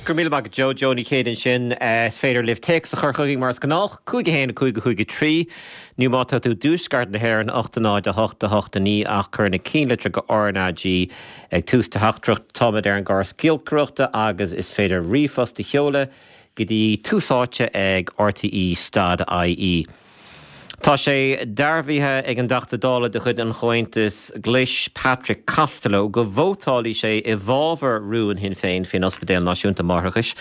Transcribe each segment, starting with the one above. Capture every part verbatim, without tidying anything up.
Go raibh míle maith agat Joe Joe Ní Chéide ansin is féidir libh téacs a chur chugainn mar is gnách cúig a haon cúig a cúig a trí nó má tá tú i dtuaisceart na hÉireann ocht a náid a hocht a hocht a naoi ach cuir na cinnlitreacha RnaG ag tús do theachtaireacht táimid ar an gcóras giolcaireachta agus is féidir ríomhphost a sheoladh go dtí tús áite ag RTE stad IE. Tá sé dearbhaithe ag an dTeachta Dála de chuid an Chomhaontais Ghlais Patrick Costello go vótálfaidh sé i bhfabhar rún Shinn Féin faoin Ospidéal Náisiúnta Máithreachais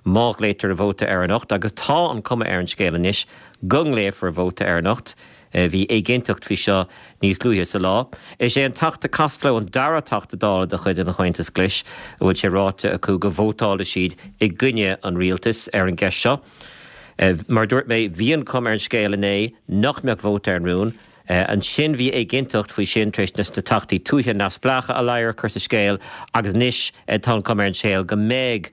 má ghlaotar vóta air anocht agus tá an cuma ar an scéal anois go nglaofar vóta air anocht. Bhí éiginnteacht faoi seo níos luaithe sa lá. Is é an Teachta Costello an dara Teachta Dála de chuid an Chomhaontais Ghlais a bhfuil sé ráite acu go vótálfaidh siad i gcoinne an rialtais ar an gceist seo. Mar dúirt mé bhí an chuma ar an scéal inné nach mbeadh vóta ar an rún. Ansin bhí éiginnteacht faoi sin tar éis na teachtaí tuaithe neamhspleácha a ladhar a chur sa scéal agus anois tá an chuma ar an scéal go mbeidh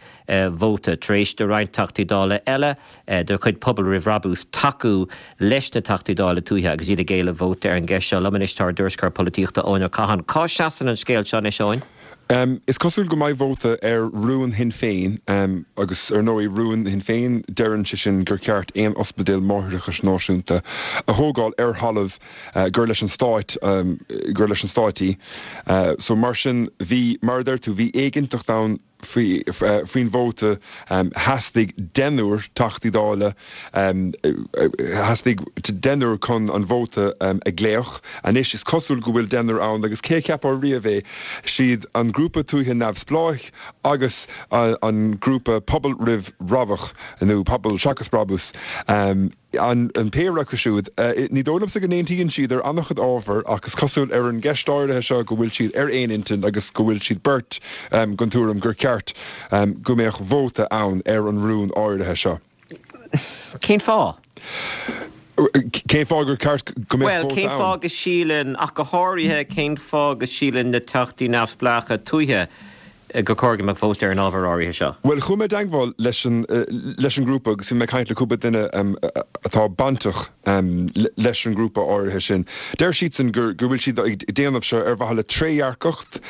vóta tar éis do roinnt teachtaí dála eile de chuid Pobal Roimh Bhrabús tacú leis na teachtaí dála tuaithe agus iad ag éileamh vóta ar an gceist seo. Liom anois tá ár dtuairisceoir polaitíochta Eoin Ó Catháin. Cá seasann an scéal seo anois Eoin? Is cosúil go mbeidh vóta ar rún Shinn Féin agus ar ndóigh rún Shinn Féin deireann sé sin gur ceart aon ospidéal máithreachais náisiúnta a thógáil ar thalamh gur leis an stáit gur leis an stáit í. So mar sin bhí mar a deir tú bhí éiginnteacht ann faoi faoin vóta theastaigh deichniúr Teachtaí Dála theastaigh deichniúr chun an vóta a ghlaoch. Anois is cosúil go bhfuil deichniúr ann agus cé a cheapfadh riamh é siad an grúpa tuaithe neamhspleách agus an grúpa Pobal Roimh Bhrabach nó Pobal Seachas Brabús. An péire acu siúd, ní dóigh liomsa go n-aontaíonn siad ar an-chuid ábhar ach is cosúil ar an gceist áirithe seo go bhfuil siad ar aon intinn agus go bhfuil siad beirt den tuairim gur ceart go mbeadh vóta ann ar an rún áirithe seo. Cén fáth? Cén fáth gur ceart go mbeadh vóta ann? Bhuel, cén fáth go síleann, ach go háirithe, cén fáth go síleann na teachtaí neamhspleácha tuaithe gur chóir go mbeadh vóta ar an ábhar áirithe seo? Bhuel, chuaigh mé i dteagmháil leis an leis an ngrúpa agus bhí mé ag caint le cúpla duine atá bainteach leis an ngrúpa áirithe sin. Deir siadsan gur go bhfuil siad ag déanamh seo ar mhaithe le trédhearcacht,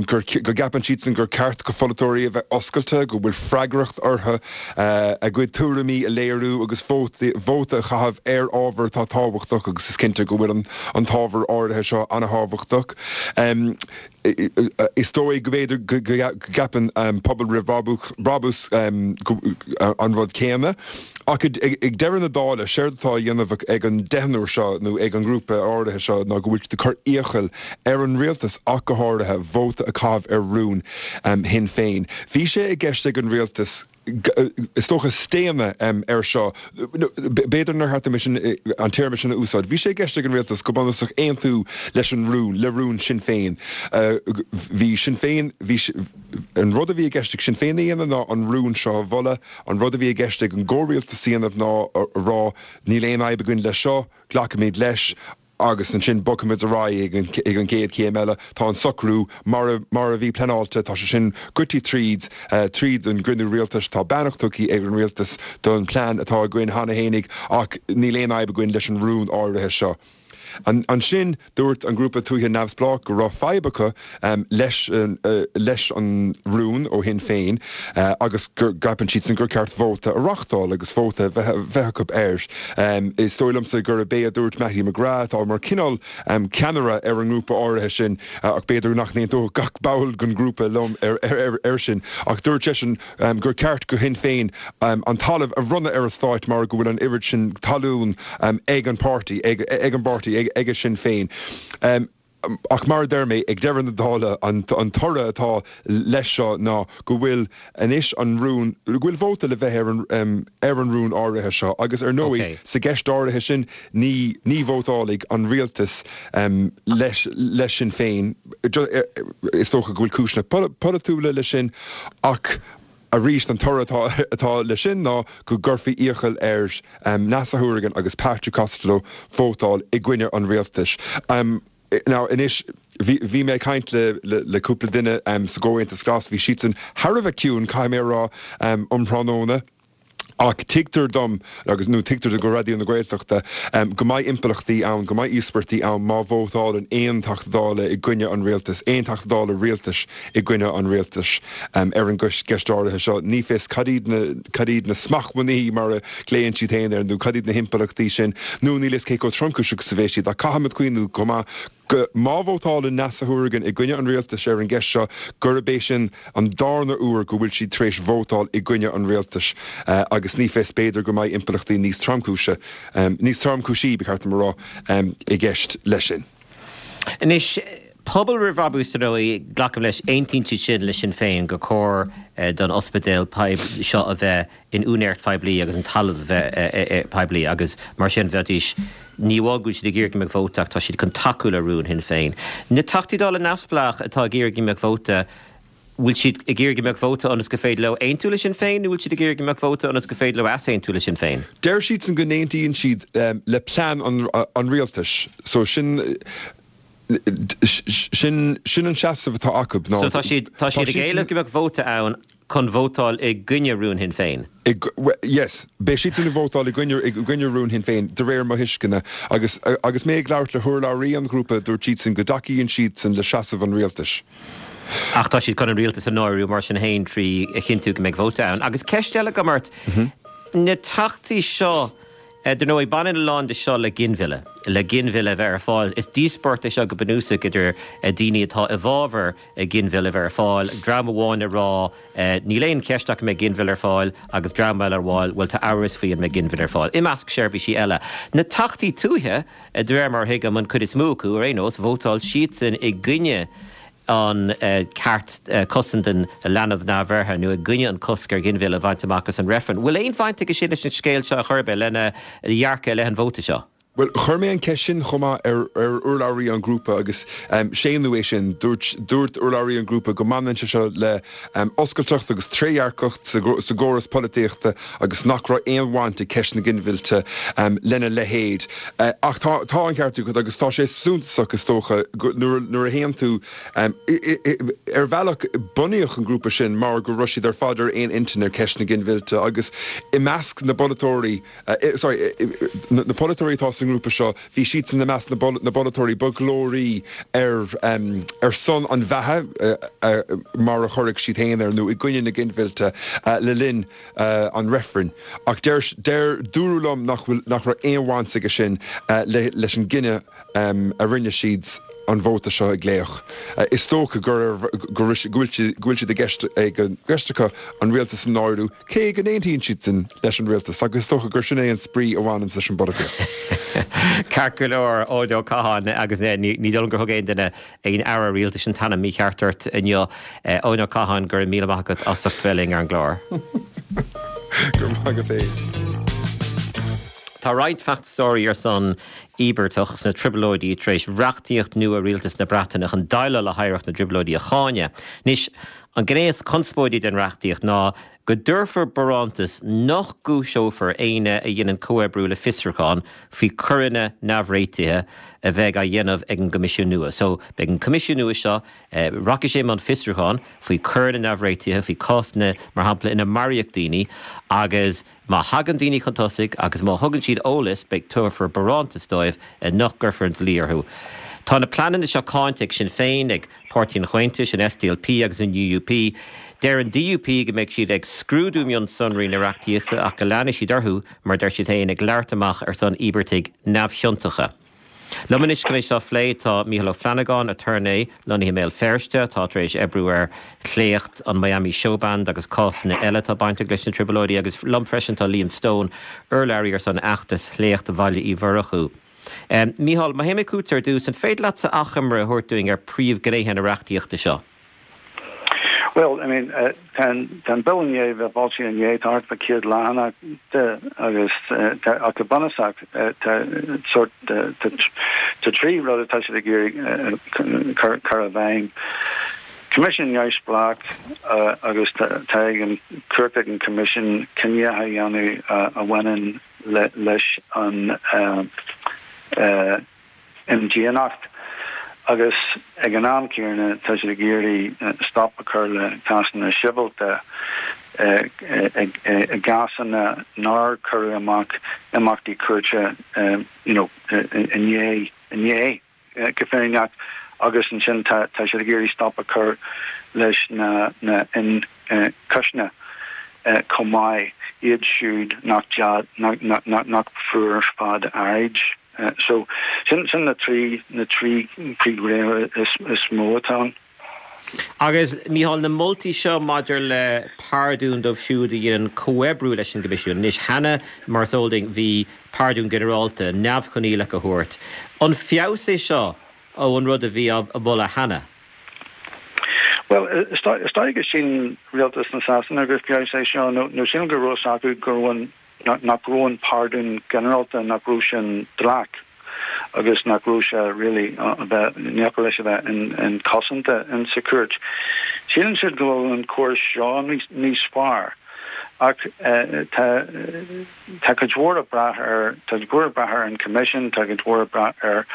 gur go gceapann siadsan gur ceart do pholaiteoirí a bheith oscailte, go bhfuil freagracht orthu a gcuid tuairimí a léiriú agus vóta vóta a chaitheamh ar ábhar atá tábhachtach agus is cinnte go bhfuil an an t-ábhar áirithe seo an-tábhachtach. Is dóigh go mb'fhéidir go gceapann Pobal Roimh Bhrabús an rud céanna. Ach ag deireadh na dála, séard atá á dhéanamh ag an deichniúr seo nó ag an ngrúpa áirithe seo ná go bhfuil siad ag cur iachall ar an rialtas ach go háirithe vóta a chaitheamh ar rún Shinn Féin. Bhí sé i gceist ag an rialtas is dócha staonadh air seo. B'fhéidir nár cheart dom sin an téarma sin a úsáid. Bhí sé i gceist ag an rialtas go bunúsach aontú leis an rún, le rún Sinn Féin. Bhí Sinn Féin, bhí an rud a bhí i gceist ag Sinn Féin a dhéanamh ná an rún seo a mholadh, an rud a bhí i gceist ag an gcomhrialtas a dhéanamh ná a rá níl aon fhadhb againn leis seo, glacfaimid leis. agus ansin bogfaimid ar aghaidh ag an gcéad chéim eile. Tá an socrú mar a mar a bhí pleanáilte, tá sé sin goite tríd, tríd an gcruinniú rialtais. Tá beannacht tugtha ag an rialtas don plean atá againn cheana fhéinig ach níl aon fhadhb againn leis an rún áirithe seo. Ansin dúirt an grúpa tuaithe neamhspleách go raibh fadhb acu leis leis an rún ó Shinn Féin agus go gceapann siadsan gur ceart vóta a reáchtáil agus vóta a bheith acu air. Is dóigh liomsa gurb é a dúirt Mattie McGrath, atá mar cineál ceannaire ar an ngrúpa áirithe sin, ach b'fhéidir nach n-aontódh gach ball den ghrúpa liom air sin, ach dúirt seisean gur ceart do Shinn Féin an talamh a bhronnadh ar an Stát mar go bhfuil an oiread sin talún ag an páirtí, ag an bpáirtí, ag Sinn Féin. Ach mar a deir mé, ag deireadh na dála, an toradh atá leis seo ná go bhfuil anois an rún, go bhfuil vóta le bheith ar an ar an rún áirithe seo agus ar ndóigh sa gceist áirithe sin ní ní vótálfaidh an rialtas leis leis Sinn Féin. Is dócha go bhfuil cúiseanna polaitiúla leis sin ach arís an toradh atá atá leis sin ná go gcuirfí iachall ar Neasa Hourigan agus Patrick Costello vótáil i gcoinne an rialtais. Now anois bhí bhí mé ag caint le le le cúpla duine sa gComhaontas Glas, bhí siadsan thar a bheith ciúin, caithfidh mé a rá, um thráthnóna. Ach tuigtear dom agus nó tuigtear do Raidió na Gaeltachta go mbeidh impleachtaí ann, go mbeidh íospairtí ann má vótálann aon Teachta Dála i gcoinne an rialtais, aon Teachta Dála rialtais i gcoinne an rialtais ar an gceist áirithe seo. Ní fios cad iad na cad iad na smachtbhannaí mar a ghlaonn siad féin air nó cad iad na himpleachtaí sin nó níl fhios cé chomh tromchúiseach is a bheidh siad ach caithfimid cuimhniú chomh maith go má vótálann Neasa Hourigan i gcoinne an rialtais ar an gceist seo, gurb é sin an darna huair go bhfuil siad tar éis vótáil i gcoinne an rialtais agus ní fios, b'fhéidir go mbeidh impleachtaí níos tromchúise, níos tromchúisí, ba cheart dom a rá, i gceist leis sin. Anois, Pobal Roimh Bhrabús, ar ndóigh, glacaim leis, aontaíonn siad sin le Sinn Féin gur chóir don ospidéal seo a bheith in úinéireacht phoiblí agus an talamh a bheith poiblí agus mar sin bheidís, ní amháin go bhfuil siad ag iarraidh go mbeadh vóta ach tá siad chun tacú le rún Shinn Féin. Na Teachtaí Dála neamhspleách atá ag iarraidh go mbeadh vóta, bhfuil siad ag iarraidh go mbeadh vóta ionas gur féidir leo aontú le Sinn Féin nó bhfuil siad ag iarraidh go mbeadh vóta ionas gur féidir leo easaontú le Sinn Féin? Deir siadsan go n-aontaíonn siad le plean an rialtais so sin Sin sin an seasamh atá acu ná. So tá siad tá siad ag éileamh go mbeadh vóta ann chun vótáil i gcoinne rún Shinn Féin? I yes. Beidh siadsan ag vótáil i gcoinne i gcoinne rún Shinn Féin, de réir mo thuisceana. Agus agus mé ag labhairt le hurlabhraí an ghrúpa, dúirt siadsan go dtacaíonn siadsan le seasamh an rialtais. Ach tá siad chun an rialtas a náiriú mar sin féin trí a chinntiú go mbeidh vóta ann. Agus ceist eile agam ort, na teachtaí seo, Dar ndóigh, baineann a lán de seo le ginmhilleadh, le ginmhilleadh a bheith ar fáil. Is díospóireacht é seo go bunúsach idir daoine atá i bhfabhar ginmhilleadh a bheith ar fáil, dream amháin ag rá níl aon cheist ach go mbeidh ginmhilleadh ar fáil agus dream eile ag rá bhuel tá amhras faoi an mbeidh ginmhilleadh ar fáil, i measc seirbhísí eile. Na teachtaí tuaithe, de réir mar a thuigim, an chuid is mó acu ar aon nós, vótáil siadsan i gcoinne an ceart cosaint don leanbh neamhbheirthe nó i gcoinne an cosc ar ghinmhilleadh a bhaint amach as an reifreann. Bhfuil aon bhaint aige sin leis an scéal seo ar chor ar bith, lena dhearcadh i leith an vóta seo? Bhuel, chuir mé an cheist sin chomh maith ar urlabhraí an ghrúpa agus séanadh é sin. Dúirt dúirt urlabhraí an ghrúpa go mbaineann sé seo le oscailteacht agus trédhearcacht sa gcóras polaitíochta agus nach raibh aon bhaint ag ceist na ginmhillte lena leithéid. Ach tá tá an ceart agat agus tá sé suntasach is dócha nuair nuair a théann tú Ar bhealach, bunaíodh an grúpa sin mar go raibh siad ar fad ar aon intinn ar cheist na ginmhillte agus i measc na bpolaiteoirí, sorry, na polaiteoirí atá sa ngrúpa seo, bhí siadsan i measc na bpolaiteoirí ba ghlóraí ar ar son an bheatha, mar a chuirfeadh siad féin air, nó i gcoinne na ginmhillte le linn an reifrinn. Ach deir, deir, dúradh liom nach bhfuil, nach raibh aon bhaint aige sin leis an gcinneadh a rinne siad. an vóta seo a ghlaoch. Is dócha go bhfuil siad i gceist gceist acu an rialtas a náiriú, cé go n-aontaíonn siadsan leis an rialtas, agus is dócha gur sin é an spraoi a bhaineanns leis an bpolaitíocht. Ceart go leor, Eoin Ó Catháin, agus ní dóigh liom gur thug aon duine, aon aire rialtais an t-ainm mícheart ort inniu. Eoin Ó Catháin, go raibh míle maith agat as ucht bheith linn ar an gclár. Go raibh maith agat féin. Tá roinnt feachtasóirí ar son íobartach sna Trioblóidí tar éis reachtaíocht nua Rialtas na Breataine chun déileáil le hoidhreacht na dTrioblóidí a cháineadh. Anois, an ghné is conspóidí den reachtaíocht ná go dtabharfar barántas nach gcúiseofar éinne a dhéanann comhoibriú le fiosrúchán faoi choireanna neamhréitithe a bheidh á dhéanamh ag an gCoimisiún nua. So, beidh an Coimisiún nua seo, rachaidh sé i mbun fiosrúchán faoi choireanna neamhréitithe, faoi cásanna, mar shampla, ina maraíodh daoine agus, Má thagann daoine chun tosaigh agus má thugann siad eolas, beidh tabharfar barántas dóibh nach gcuirfear an dlí orthu. Tá na pleananna seo cáinte ag Sinn Féin, ag Páirtí an Chomhaontais, an SDLP agus an UUP. Deir an DUP go mbeidh siad ag scrúdú mionsonraí na reachtaíochta ach go leanfaidh siad orthu, mar a deir siad féin, ag labhairt amach ar son íobartaigh neamhchiontacha. Liom anois chun é seo a phlé tá Mícheál Ó Flannagáin, aturnae lonnaithe i mBéal Feirste, atá tar éis oibriú ar shléacht an Miami Showband agus cásanna eile atá bainteach leis na Trioblóidí, agus liom freisin tá Liam Stone, urlabhraí ar son fheachtas Shléacht Bhaile Uí Mhurchú. Mícheál, má théim chugatsa ar dtús, an féidir leatsa achoimre a thabhairt dúinn ar príomhghnéithe na reachtaíochta seo? Bhuel, I mean, tá an Bille i ndiaidh a bheith foilsithe inné, tá thart fá céad leathanach de agus ach go bunúsach tá sórt tá trí rud atá siad ag iarraidh cur i bhfeidhm. Coimisiún neamhspleách agus tá ag an cumhacht ag an Coimisiún cinneadh a dhéanamh a bhaineann leis an imdhíonacht agus ag an am céanna tá siad ag iarraidh stop a chur le cásanna sibhialta i gcásanna nár cuireadh amach imeachtaí cúirte you know inné inné go fírinneach agus ansin tá tá siad ag iarraidh stop a chur leis na na ionchúiseanna chomh maith iad siúd nach nach nach fuair fad áirid. So sin sin na trí na trí príomhghné is is mó atá ann. Agus Mícheál na moltaí seo maidir le pardún dóibh siúd a dhéanann comhoibriú leis an gCoimisiún. Anois cheana mar is eol dúinn bhí pardún ginearálta neamhchoinníollach a thabhairt. An feabhas é seo ó an rud a bhí á mholadh cheana? Well is dóigh go síleann rialtas na Sasana gur feabhas é seo nó nó sílim go raibh acu go raibh an nach raibh an pardún ginearálta nach raibh sin dleathach agus nach raibh sé really a bheith neachar leis a bheith inchosanta in sa chúirt. Síleann siad go bhfuil an córas seo níos níos fearr ach tá tá cuid mhór ag brath ar tá cuid mhór ag brath ar an Coimisiún, tá cuid mhór ag brath ar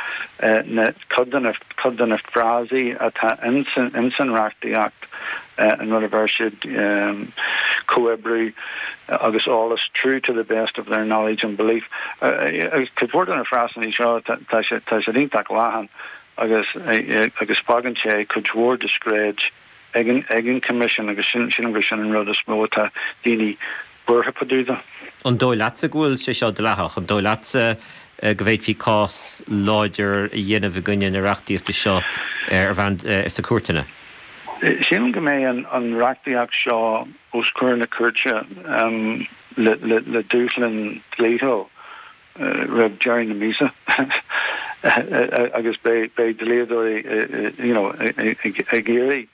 na cuid de na cuid de na frásaí atá insan insan reachtaíocht an rud a bheir siad comhoibriú agus eolas true to the best of their knowledge and belief. Cuid mhór de na frásanna seo tá sé tá siad iontach leathan agus agus fágann sé cuid mhór discréid ag an ag an Coimisiún agus sin sin gur sin an rud is mó atá daoine buartha fá dtaobh de. An dóigh leatsa go bhfuil sé seo dleathach, an dóigh leatsa go bhféadfaí cás láidir a dhéanamh i gcoinne na reachtaíochta seo ar bhonn sna cúirteanna? Sílim go mbeidh an an reachtaíocht seo os comhair na cúirte um, le, le, le dúshlán dlíthiúil roimh deireadh na míosa agus beidh beidh dlíodóirí you know, ag ag iarraidh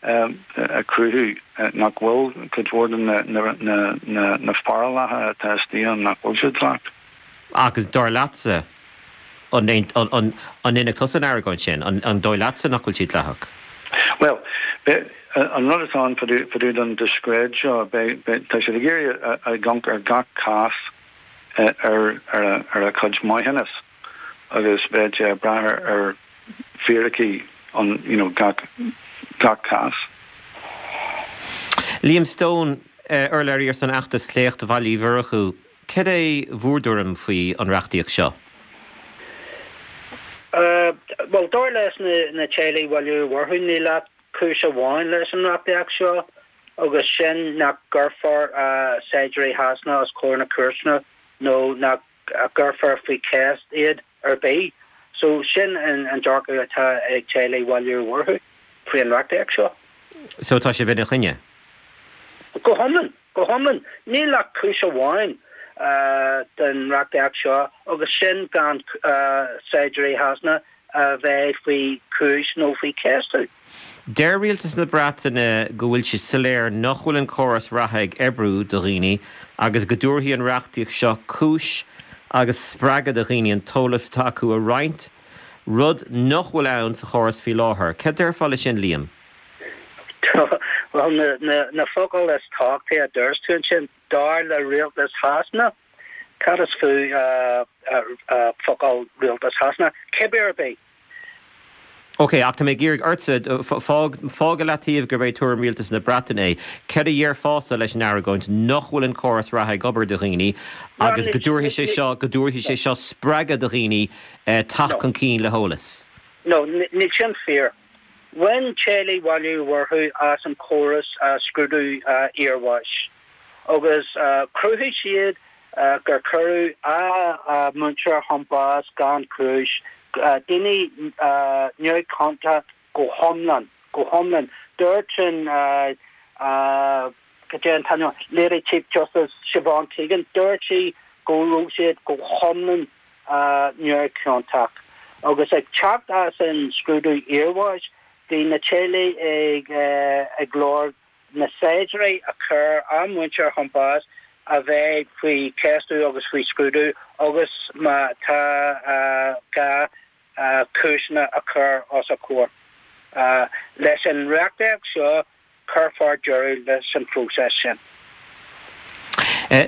um, a chruthú nach bhfuil cuid mhór de na na na na na forálacha atá istigh ann nach bhfuil siad dleathach. Agus dar leatsa an an an an ndéanfaidh tusa an argóint sin an an dóigh leatsa nach bhfuil siad dleathach? Well, an rud atá ann fá dtaobh den discréid seo tá siad ag iarraidh a amharc ar gach cás ar ar ar a chuid maithiúnas agus beidh sé ag brath ar fíricí an you know, gach gach cás. Liam Stone urlabhraí ar son fheachtas Sléacht Bhaile Uí Mhurchú, Cad é bhur dtuairim faoi an reachtaíocht seo? Uh, well dar leis na, na teaghlaigh Bhaile Uí Mhurchú níl ach cúis amháin leis an reachtaíocht seo agus sin nach gcuirfear uh, saighdiúirí Shasana os comhair na cúirteanna nó nach gcuirfear faoi cheist iad ar bith. So sin an, an dearcadh atá ag teaghlaigh Bhaile Uí Mhurchú faoi an reachtaíocht seo. So tá sibh ina choinne? Go hiomlán, go hiomlán, níl ach cúis amháin uh, den reachtaíocht seo agus sin gan uh, saighdiúirí Shasana a bheith faoi chúis nó faoi cheistiú. Deir rialtas na Breataine go bhfuil sé soiléir nach bhfuil an córas reatha ag oibriú do dhaoine agus go dtabharfaidh an reachtaíocht seo cúis agus spreagadh do dhaoine an t-eolas atá acu a roinnt, rud nach bhfuil ann sa chóras faoi láthair. Cad déarfá leis sin Liam? Well na, na, na focail is tábhachtaí a dúirt tú sin dar le rialtas Shasana, Cad is fiú uh, uh, uh, focal rialtas Shasana, cibé ar bith. Ok, ach tá mé ag iarraidh ortsa fág le taobh gurb é tuairim rialtas na Breataine é. Cad a déarfása leis an argóint nach bhfuil an córas reatha ag obair do dhaoine agus go dtabharfaidh sé seo go dtabharfaidh sé seo spreagadh do dhaoine teacht chun cinn le heolas. No, níl sin fíor. Bhain teaghlaigh Bhaile Uí Mhurchú as an córas uh, scrúdú uh, iarbháis. Agus uh, chruthaigh siad uh, gur cuireadh a uh, muintir chun báis gan chúis uh, daoine uh, neamhchiontach go hiomlán go hiomlán dúirt sin uh, uh, go dtí Lady Chief Justice Siobhan Keegan dúirt sí go raibh siad go hiomlán uh, neamhchiontach. Agus ag teacht as an scrúdú iarbháis bhí na teaghlaigh ag uh, ag lorg na saighdiúirí a chuir a muintir chun báis a bheith faoi cheistiú agus faoi scrúdú agus má tá uh, gá uh, cúiseanna a chur os a gcomhair. Uh, leis an reachtaíocht seo cuirfear deireadh leis an phróiseas sin. Uh,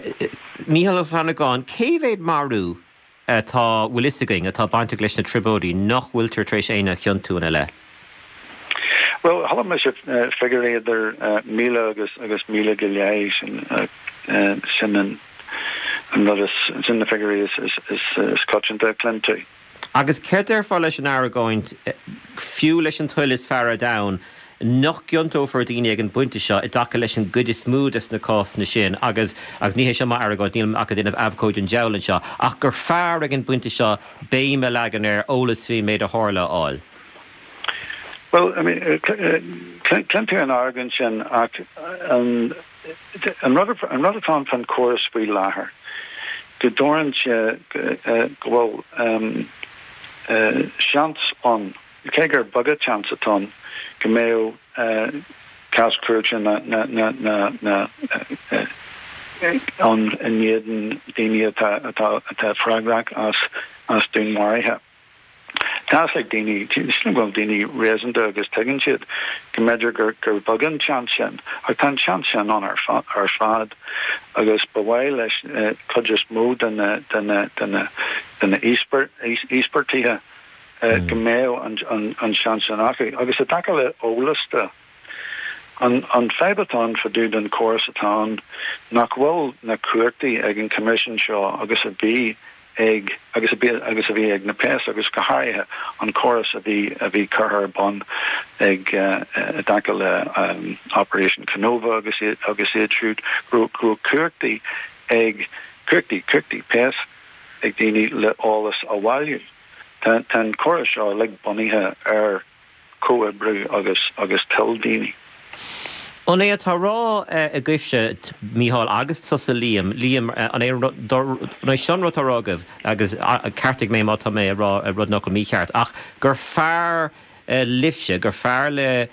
Mícheál Ó Flannagáin, cé mhéad marú atá bhfuil fhios againn atá bainteach leis na trioblóidí nach bhfuiltear tar éis éinne a chiontú ina leith? Well, chuala mise figiúirí idir míle agus agus míle go leith sin sin an an rud is sin na figiúirí is is is is coitianta a chluin tú. Agus céard a déarfá leis an argóint, fiú leis an toil is fearr ar domhan, nach gciontófar daoine ag an bpointe seo i dtaca leis an gcuid is mó des na cásanna sin agus agus ní hé seo m'argóint, nílim ach ag déanamh abhcóide an diabhail anseo, ach gur fearr ag an bpointe seo béim a leagan ar eolas faoin méid a tharla a fháil. Well, I mean, cluin tú an argóint sin ach an an rud an rud atá fan córas faoi láthair go dtabharann sé go bhfuil seans ann cé gur beag an seans atá ann go mbeadh cás cúirte na na na na na an in éadan daoine atá atá atá freagrach as as dúnmharuithe. Tá ag daoine sin go bhfuil daoine réasúnta agus tuigeann siad go mb'fhéidir gur gur beag an seans sin ach tá an seans sin ann ar ar fad agus ba mhaith leis cuid is mó de na de na de na de na íospartaigh go mbeadh an an an seans sin acu agus i dtaca le eolas de an an fadhb atá ann fá dtaobh den córas atá ann nach bhfuil na cumhachtaí ag an Coimisiún seo agus a bhí ag agus a bhí agus a bhí ag na péas agus go háirithe an córas a bhí a bhí curtha ar bun ag uh, i dtaca le um, Operation Kenova agus agus iad siúd go go cumhachtaí ag cumhachtaí cumhachtaí péas ag daoine le eolas a bhailiú. Tá an córas seo le bunaithe ar comhoibriú agus agus toil daoine. An é atá á rá agaibhse Mícheál agus tusa Liam Liam an é an é sin rud atá á rá agaibh agus ceartaigh mé má tá mé ag rá rud nach mícheart ach gur fearr libhse gur fearr le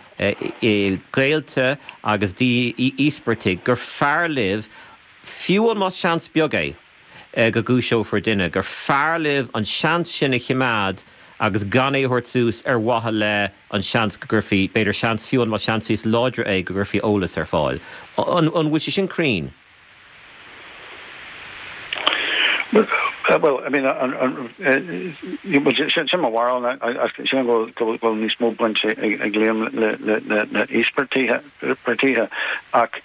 gaolta agus d'íospartaigh gur fearr libh fiú an más seans beag é go gcúiseofar duine gur fearr libh an seans sin a choimeád agus gan é a thabhairt suas ar mhaithe le an seans go gcuirfí b'fhéidir seans fiú an má seans níos láidre é go gcuirfí eolas ar fáil. An bhfuil sé sin cruinn? Well, I mean, sin mo bharúil sin go bhfuil níos mó baint ag Liam le íospartaigh ach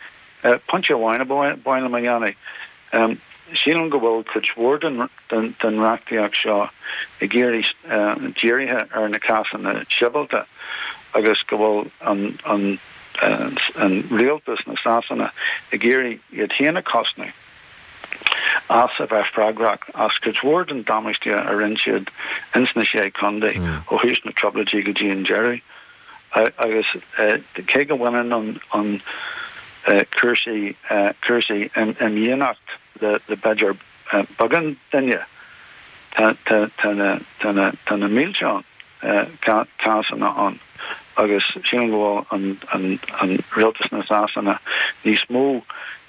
pointe amháin a ba mhaith liom a dhéanamh. Sílim go bhfuil cuid mhór den den reachtaíocht seo ag iarraidh dírithe ar na cásanna sibhialta agus go bhfuil an an an rialtas na Sasana ag iarraidh iad féin a chosnú as a bheith freagrach as cuid mhór den damáiste a rinne siad ins na sé chontae ó thús na trioblóidí go dtí an deireadh agus cé go bhaineann an an cúrsaí cúrsaí imdhíonacht le le b'fhéidir beagán duine tá tá tá na tá na tá na mílte cásanna ann agus sílim go bhfuil an an an rialtas na Sasana níos mó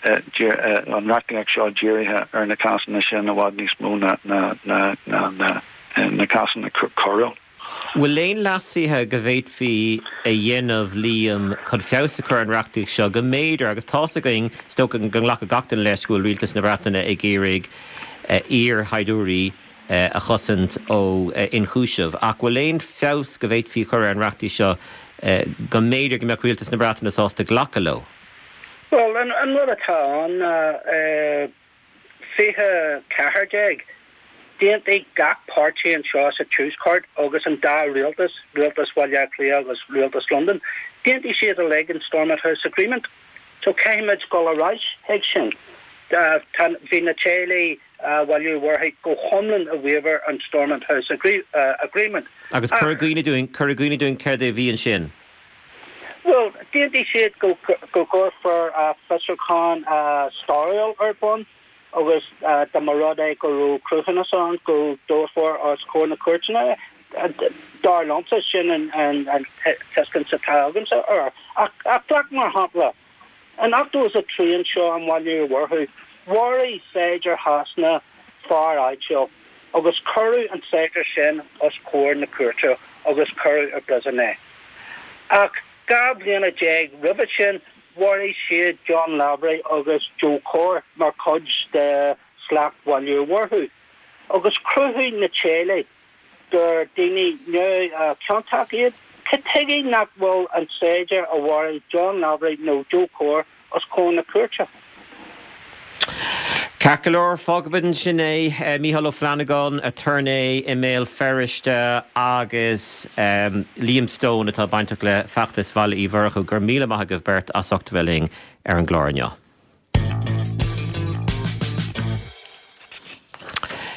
an reachtaíocht seo dírithe ar na cásanna sin i bhfad níos mó na na na na na na cásanna coiriúil. Bhfuil aon leasuithe go bhféadfaí a dhéanamh Liam chun feabhas a chur ar an reachtaíocht seo go mb'fhéidir agus tá's againn is dócha go nglacfadh gach duine leis go bhfuil rialtas na Breataine ag iarraidh iarshaighdiúirí a chosaint ó ionchúiseamh ach bhfuil aon feabhas go bhféadfaí chur ar an reachtaíocht seo go mb'fhéidir go mbeadh rialtas na Breataine sásta glacadh leo? Well, an, an rud atá ann fiche ceathair déag D'aontaigh gach páirtí anseo sa Tuaisceart agus an dá rialtas, Rialtas Bhaile Átha Cliath agus Rialtas Londain, d'aontaigh siad uilig an Stormont House Agreement. So caithfimid dul ar ais chuig sin. Bhí na teaghlaigh Bhaile Uí Mhurchú go hiomlán i bhfabhar an Stormont House Agreement. Agus cuir i gcuimhne dúinn, cuir i gcuimhne dúinn céard a bhí ansin. Well, d'aontaigh siad go go gcuirfear fiosrúchán stairiúil ar bun. agus dá mba rud é go raibh cruthúnas ann go dtabharfar os comhair na cúirteanna é. Dar liomsa, sin an tuiscint atá agamsa air. Ach glac mar shampla, in ochtó is a trí anseo i mBaile Uí Mhurchú, mharaigh saighdiúir Shasana fear áitiúil agus cuireadh an saighdiúir sin os comhair na cúirte agus cuireadh i bpríosún é. Ach dhá bhliana déag roimhe sin, Mharaigh siad John Lavery agus Joe Corr mar chuid de shlacht Bhaile Uí Mhurchú, agus chruthaigh na teaghlaigh gur daoine neamhchiontach iad Cad tuige nach bhfuil an saighdiúir a mharaigh John Lavery nó Joe Corr os comhair na cúirte? Ceart go leor, fágfaimid ansin é. Mícheál Ó Flannagáin, aturnae i mBéal Feirste agus Liam Stone atá bainteach le feachtas Bhaile Uí Mhurchú. Go raibh míle maith agaibh beirt as ucht a bheith linn ar an gclár inniu.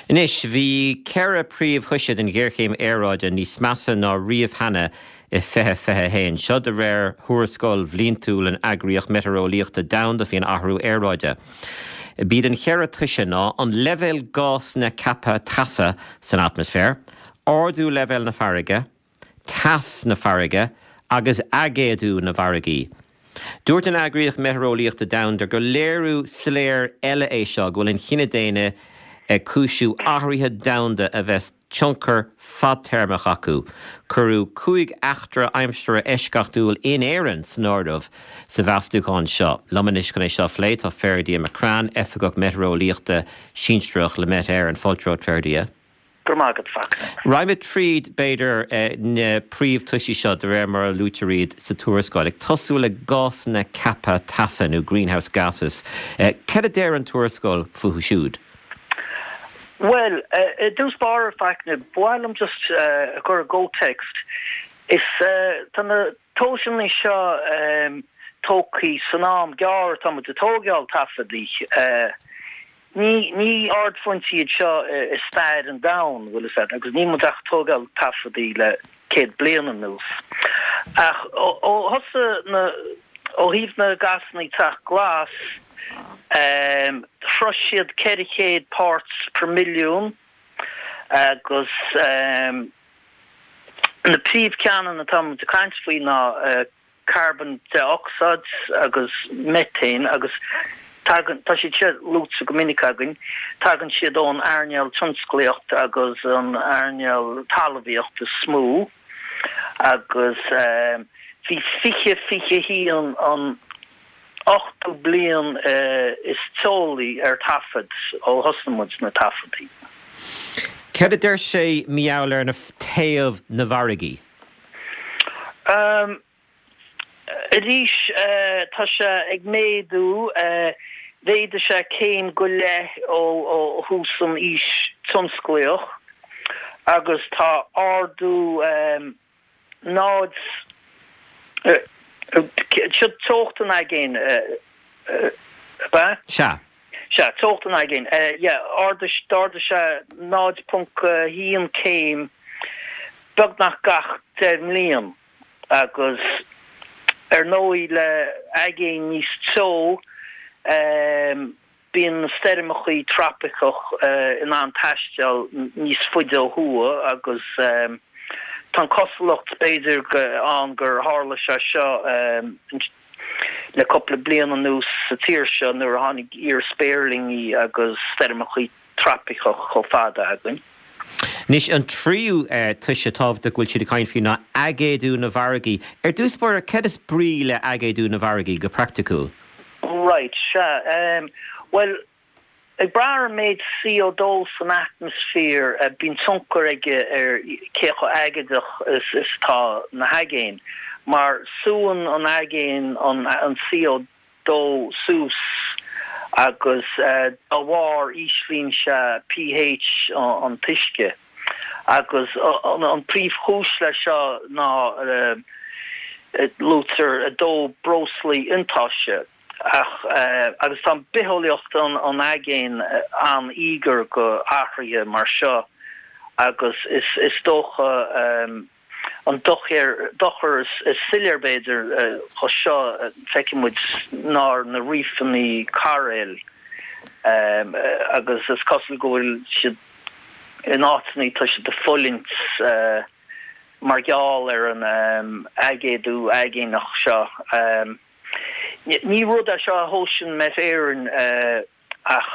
Anois, bhí ceithre príomhthoise den ghéarchéim aeráide níos measa ná riamh cheana i fiche fiche a haon. Seo de réir thuarascáil bhliantúil an Eagraíocht Meitéareolaíochta Domhanda faoin athrú aeráide. B'iad an cheithre toise ná an leibhéal gásanna ceaptha teasa san atmaisféar, ardú leibhéal na farraige, teas na farraige agus aigéadú na bhfarraigí. Dúirt an Eagraíocht Meitéareolaíochta Domhanda gur léiriú soiléir eile é seo go bhfuil an chine daonna ag cúisiú athruithe domhanda a bheas tionchar fadtéarmach acu. Cuireadh cúig eachtra aimsire eisceachtúil in Éirinn san áireamh sa mheastúchán seo. Liom anois chun é seo a phlé tá Ferdia McCrann, Oifigeach Meitéareolaíochta Sinsearach le Met Éireann. Fáilte romhat, Ferdia. Go raibh maith agat, Fachtna. Raghaimid tríd, b'fhéidir, na príomhthoisí seo de réir mar a luaitear iad sa tuarascáil, ag tosú le gásanna ceaptha teasa nó greenhouse gases. Cad a deir an tuarascáil fúthu siúd? Bhuel, i dtús báire, Fachtna, ba mhaith liom just a chur i gcomhthéacs. Is tá na tomhaiseanna seo tógtha san am gearr atá muid ag tógáil taifeadaí. Ní ní ardphointí iad seo i stair an domhain, bhfuil fhios agat, agus níl muid ach ag tógáil taifeadaí le céad bliain anuas. Ach ó ó thosaigh na ó thaobh na gásanna teach glas, shrois siad ceithre chéad parts per milliún agus na príomhcheananna atá muid ag caint faoi ná carbon dé-ocsáid agus methane agus tagann, tá siad seo luaite go minic againn, tagann siad ón earnáil tionsclaíocht agus an earnáil talmhaíocht is mó agus bhí fiche fiche haon an ochtú bliain is teolaí ar taifead ó thosnaigh muid na taifeadaí. Cad a deir sé mar gheall ar na téamh na bhfarraigí? Arís, tá sé ag méadú. Mhéadaigh sé céim go leith ó thús an aois tionsclaíoch agus tá ardú náid, seo teocht an aigéin, ab ea? Sea. Sea, teocht an aigéin. Yeah, ardaigh, d'ardaigh sé náid ponc haon céim beagnach gach deich mbliain. Agus ar ndóigh le aigéin níos teo, bíonn na stoirmeachaí tropaiceach in ann taisteal níos faide ó thuaidh agus tá an cosúlacht b'fhéidir ann gur tharla sé seo le cúpla bliain anuas sa tír seo nuair a tháinig iar-spéirlingí agus stoirmeachaí tropaiceach chomh fada againn. Anois, an tríú toise tábhachtach go bhfuil siad ag caint faoi ná aigéadú na bhfarraigí. Ar dtús báire, céard is brí le aigéadú na bhfarraigí go praiticiúil? Right, sea. Bhuel, ag brath ar an méid C O dó san atmaisféar, bíonn tionchar aige ar cé chomh aigéadach is atá na haigéin, mar súann an aigéan an C O dó suas agus dá bharr íslíonn sé pH an t-uisce. Agus an príomhchúis leis seo ná luaitear dó breoslaí iontaise ach agus tá bitheolaíocht an aigéin an-íogair go athruithe mar seo agus is dócha An dochar is soiléir b'fhéidir dho seo feiceann muid ná ar na rífeanna cairéil agus is cosúil go bhfuil siad in áiteanna tá siad ag fulaingt mar gheall ar an aigéadú aigéanach seo. Ní rud é seo a thomhaiseann Met Éireann ach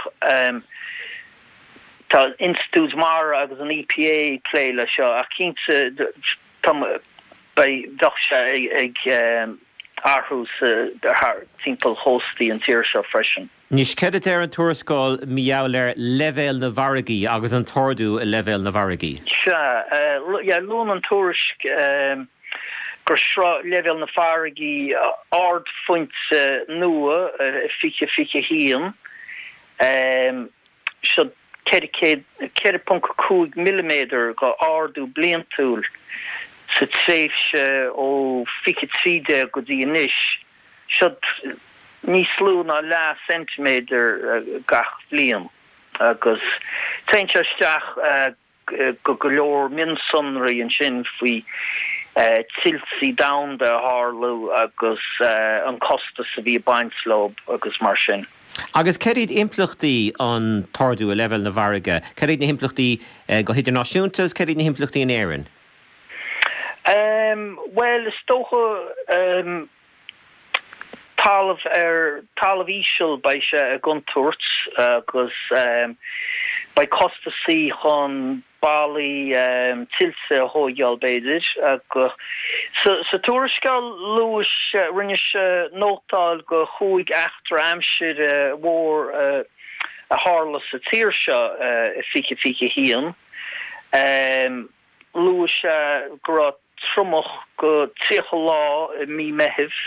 tá Institiúid Mara agus an E P A ag plé leis seo ach cinnte tá beidh bheadh sé ag athrú sa timpeall chóstaí an tír seo freisin. Anois, céard a deir an tuarascáil mar gheall ar leibhéal na bhfarraigí agus an t-ardú i leibhéal na bhfarraigí? Sea, yeah, luann an tuairisc gur shroich leibhéal na farraige ardphointe nua i fiche fiche a haon, seo ceithre ponc cúig milliméadar de ardú bliantúil sa tréimhse ó fiche trí déag go dtí anois, seo níos lú ná leath ceintiméadar gach bliain agus téann sé isteach go go leor mionsonraí ansin faoi tuiltí domhanda a tharlú agus an costas a bhí ag baint leo agus mar sin. Agus céard iad impleachtaí an t-ardú i leibhéal na bhfarraige? Céard iad na himpleachtaí go hidirnáisiúnta agus céard iad na himpleachtaí in Éirinn? Bhuel, is dócha talamh ar talamh íseal beidh sé i gcontúirt agus beidh costasaí chun ballaí tuilte a thógáil b'fhéidir agus sa tuarascáil luaigh sé rinne sé nótáil go chúig eachtra aimsire mhór a tharla sa tír seo i fiche fiche a haon. Luaigh sé go raibh triomach go tríocha lá i mí Meithimh.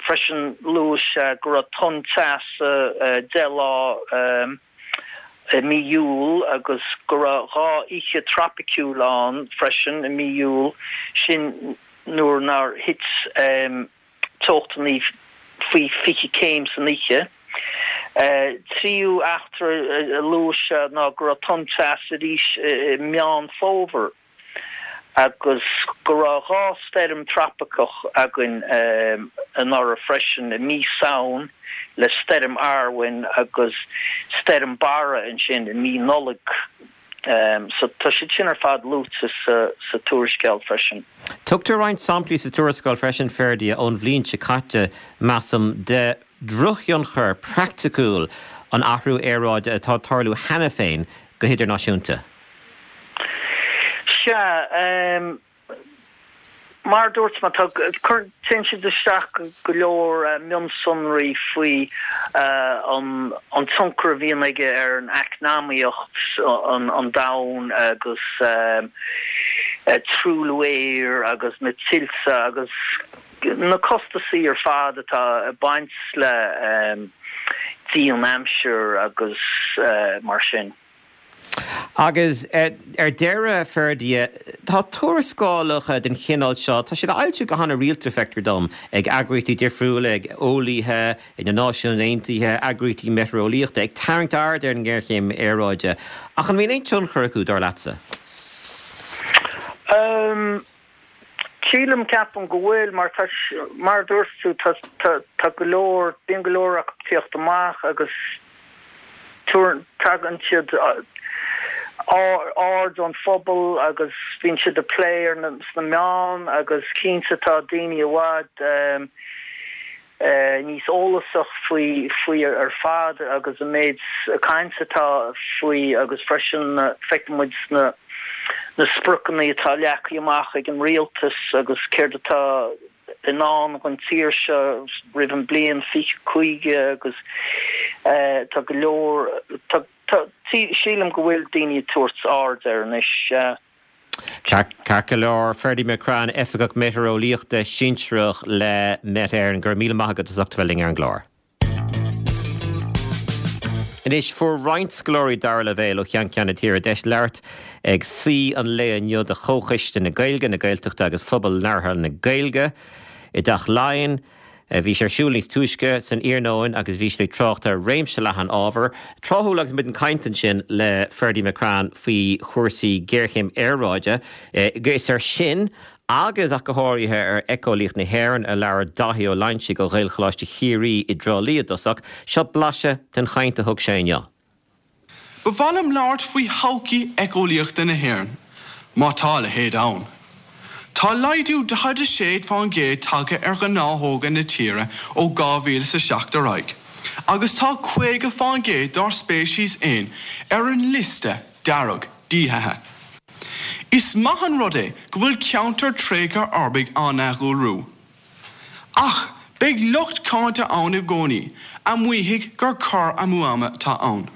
Freisin luaigh sé go raibh tonn teasa deich lá i mí Iúil agus go raibh dhá oíche tropiciúil ann freisin i mí Iúil, sin nuair nár thit teochtanna faoi fiche céim san oíche. Tríú eachtra a luaigh sé ná go raibh tonn teasa arís i Meán Fómhair agus go raibh dhá stoirm tropaiceach againn anuraidh freisin i mí Samhain le Stoirm Arwen agus Stoirm Barra ansin i mí Nollag. So tá siad sin ar fad luaite sa tuarascáil freisin. Tugtar roinnt samplaí sa tuarascáil freisin, Ferdia, ón bhliain seo caite, measaim, de dhrochthionchar praiticiúil an athrú aeráide atá ag tarlú cheana féin go hidirnáisiúnta. Sea, mar a dúirt mé, tá, téann siad isteach go leor mionsonraí faoi an an tionchar a bhíonn aige ar an eacnamaíocht an domhain agus truailliú aeir agus na tuilte agus na costasaí ar fad atá ag baint le dian-aimsir agus mar sin. Agus ar deireadh, Ferdia, tá tuarascálacha den chineál seo, tá siad á fhoilsiú go han-rialta, feictear dom, ag eagraíochtaí difriúla, ag eolaithe, ag na Náisiúin Aontaithe, eagraíochtaí meitéareolaíochta, ag tarraingt aird ar an ngéarchéim aeráide. Ach an mbíonn aon tionchar acu, dar leatsa? Sílim, ceapaim go bhfuil, mar tá, mar a dúirt tú, tá, tá, tá go leor, bíonn go leor acu ag tíocht amach agus tagann siad aird an phobail agus bíonn siad á bplé ar na, sna meáin agus cinnte tá daoine i bhfad níos eolasach faoi faoi ar fad agus an méid caint atá faoi agus freisin feiceann muid sna na spriocanna atá leagtha amach ag an rialtas agus céard atá i ndán don tír seo roimh an bliain fiche caoga agus tá go leor tá tá sílim go bhfuil daoine ag tabhairt aird air anois. Ceart go leor, Ferdia McCrann, Oifigeach Meitéareolaíochta Sinsearach le Met Éireann, go raibh míle maith agat as ucht a bheith linn ar an gclár. Anois, fuair roinnt scoláirí dara leibhéal ó cheann ceann na tíre deis labhairt ag suí an lae inniu de Chomhchoiste na Gaeilge, na Gaeltachta agus Phobal Labhartha na Gaeilge i dTeach Laighean. Bhí sé ar siúl níos túisce san iarnóin agus bhí siad ag trácht ar réimse leathan ábhar. Tráthúil agus muid ag caint ansin le Ferdia McCrann faoi chúrsaí géarchéim aeráide. Is ar sin agus ach go háirithe ar éiceolaíocht na hÉireann a labhair Dáithí Ó Loingsigh ó Ghaelcholáiste Chiarraí i dTrá Lí i dtosach. Seo blaiseadh den chaint a thug sé inniu. Ba mhaith liom labhairt faoi thodhchaí éiceolaíochta na hÉireann, má tá a leithéid ann. Tá laghdú daichead a sé fán gcéad tagtha ar ghnáthóga na tíre ó dhá mhíle is a seacht ar aghaidh, agus tá caoga fán gcéad dár speicis éan ar an liosta dearg díothaithe. Is maith an rud é go bhfuil ceantair tréigthe uirbigh á n-athdhúlrú. Ach beidh lucht cáinte ann i gcónaí a mhaífidh gur cur amú ama atá ann.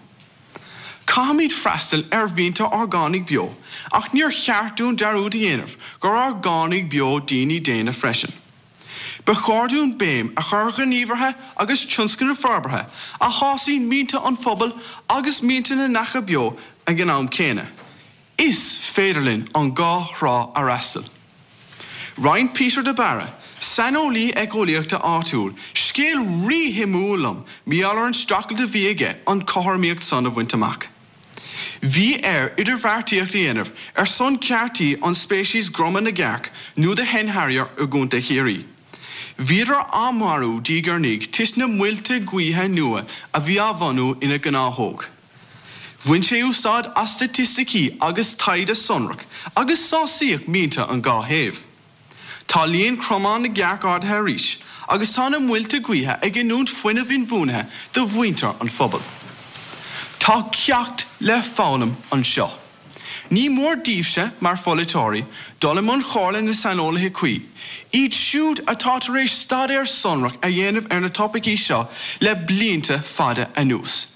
Caithfimid freastal ar mhianta orgánaigh beo, ach níor cheart dúinn dearúd a dhéanamh gur orgánaigh beo daoine daonna freisin. Ba chóir dúinn béim a chur ar ghníomhartha agus tionscnaimh forbartha a shásaíonn mianta an phobail agus mianta na neacha beo ag an am céanna. Is féidir linn an dhá thrá a fhreastal. Roinn Peter de Barra, saineolaí éiceolaíochta áitiúil, scéal ríshuimiúil liom mar gheall ar an streachailt a bhí aige an chothromaíocht san a bhaint amach. Bhí air idirbheartaíocht a dhéanamh ar son ceartaí an speicis groma na gcearc nó the hen harrier i gContae Chiarraí. Bhíodar á marú diaidh ar ndiaidh toisc na muilte gaoithe nua a bhí á bhunú ina ngnáthóg. Bhain sé úsáid as staitisticí agus taighde sonrach agus sásaíodh mianta an dhá thaobh. Tá líon cromán na gcearc ardaithe arís agus tá na muilte gaoithe ag giniúint fuinneamh inbhuanaithe do mhuintir an phobail. Tá ceacht le foghlaim anseo. Ní mór daoibhse mar pholaiteoirí dul i mbun comhairle na saineolaithe cuí, iad siúd atá tar éis staidéar sonrach a dhéanamh ar na topaicí seo le blianta fada anuas.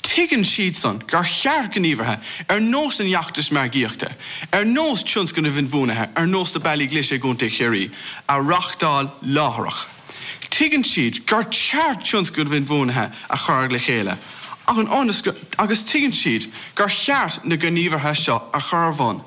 Tuigeann siadsan gur cheart gníomhartha ar nós an fheachtais margaíochta, ar nós tionscnamh inbhuanaithe ar nós na Bealaí Glaise i gContae Chiarraí, a reáchtáil láithreach. Tuigeann siad gur cheart tionscnamh inbhuanaithe a chur le chéile, agus tuigeann siad gur cheart na gníomhartha seo a chur ar bun,